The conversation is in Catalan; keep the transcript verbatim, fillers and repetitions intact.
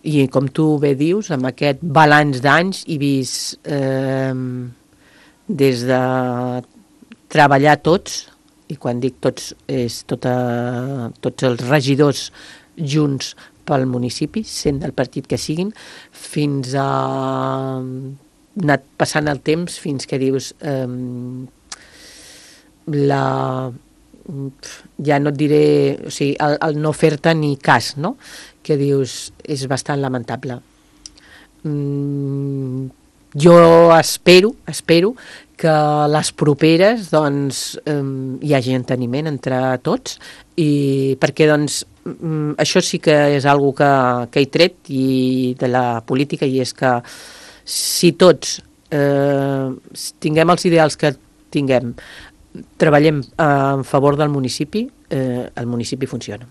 i com tu bé dius, amb aquest balanç d'anys he vist eh, des de treballar tots, i quan dic tots és tota, tots els regidors junts pel municipi, sent del partit que siguin, fins a anar passant el temps fins que dius eh, la ja no et diré, o sigui, el, el no fer-te ni cas, no? Que dius, és bastant lamentable. Mm, jo espero, espero que les properes doncs, eh, hi hagi enteniment entre tots, i perquè doncs, mm, això sí que és algo que, que he tret i de la política, i és que si tots eh, tinguem els ideals que tinguem, treballem en favor del municipi, eh, el municipi funciona.